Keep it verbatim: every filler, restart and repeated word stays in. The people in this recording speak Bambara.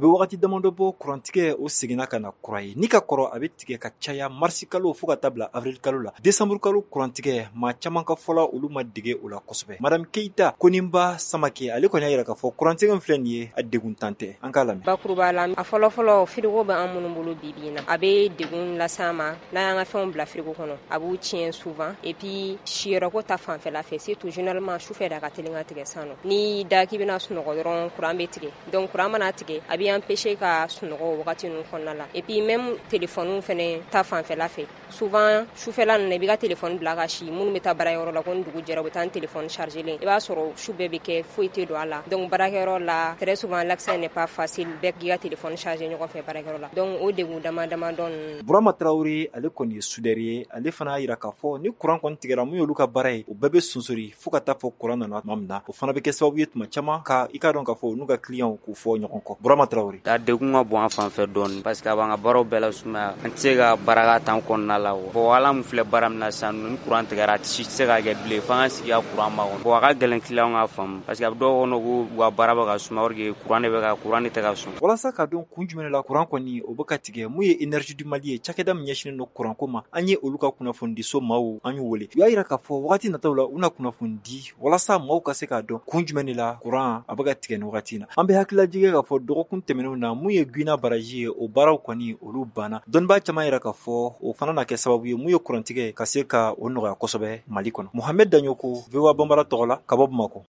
Bɛ wagati damadɔ bɔ, kurantigɛ o seginna ka na kura ye. Ni ka kɔrɔ, a bɛ tigɛ ka caya marisi kalo fo ka taa bila avril kalo la. Décembre kalo kurantigɛ, maa caman ka fɔla, olu ma dege o la kosɛbɛ. Madame Keyita Koninba Samake, ale kɔni y'a jira k'a fɔ kurantigɛ min filɛ nin ye, a degun tan tɛ. An k'a lamɛn. Bakuruba la, a fɔlɔfɔlɔ, frigo bɛ an minnu bolo bi bi in na, a bɛ degun lase an ma. N'an y'an ka fɛnw bila frigo kɔnɔ, a b'u tiɲɛ souvent. Et puis siyɔrɔko ta fanfɛla fɛ, surtout généralement sufɛ de a ka teli ka tigɛ. Sisan nɔ, n'i da k'i bɛna sunɔgɔ dɔrɔn, courant bɛ tigɛ. Donc courant mana tigɛ, a b'i empêcher ka sunɔgɔ o wagati ninnu kɔnɔna la. Et puis même téléphone fɛnɛ ta fanfɛla fɛ, souvent sufɛla ninnu na, i b'i ka téléphone bila ka si. Minnu bɛ taa baarayɔrɔ la, ko ni dugu jɛra, u bɛ taa ni téléphone chargé i b'a sɔrɔ su bɛɛ bɛ kɛ, foyi tɛ don a la. Donc baarakɛyɔrɔ la, très souvent l'accès n'est pas facile, bɛɛ k'i ka téléphone chargé ɲɔgɔn fɛ baarakɛyɔrɔ la. Donc o degun dama dama dɔ ninnu. Burama Tarawele, ale kɔni ye soudeur ye. Ale fana y'a jira k'a fɔ ni courant kɔni tigɛra, mun y'olu ka baara ye, o bɛɛ bɛ sonsori fo ka taa fɔ courant nana tuma min na. O fana bɛ kɛ sababu ye tuma caman ka i k'a dɔn k'a fɔ n'u ka clients k'u fɔ ɲɔgɔn kɔ. Burama Tarawele. A degun ka bon an fan fɛ dɔɔni, parce que a b'an ka baaraw bɛɛ la sumaya. An tɛ se ka baara tan kɔnɔna la. Bon, ala min filɛ, baara min na sisan, ni courant tigɛra, a si tɛ se ka kɛ bilen, f'an ka sigi ka courant makɔnɔ. Bon, a ka gɛlɛn client ka faamu, parce que a bɛ dɔw kɔnɔ ko u ka baara bɛ ka suma, or que courant de bɛ ka courant de tɛ ka sɔn. Walasa ka dɔn kun jumɛn la courant kɔni o bɛ ka tigɛ, mun ye Énergie du Mali ye, cakɛda min ɲɛsinnen don courant ko ma, an ye olu ka kunnafonidiso maaw an y'u wele. U y'a jira k'a fɔ wagati nataw la, u na kunnafoni di walasa maaw ka se k'a dɔn kun jumɛn de la courant a bɛ ka tigɛ nin wagati in na. An bɛ hakililajigin k'a fɔ dɔgɔkun tɛmɛnenw na, mun ye Guina barrage ye, o baaraw kɔni olu banna. Dɔnnibaa caman yɛrɛ k'a fɔ o fana na kɛ sababu ye mun ye kurantigɛ ka se ka o nɔgɔya kosɛbɛ Mali kɔnɔ. Mohamed Daɲoko, V O A Banbara tɔgɔ la, ka bɔ Bamakɔ.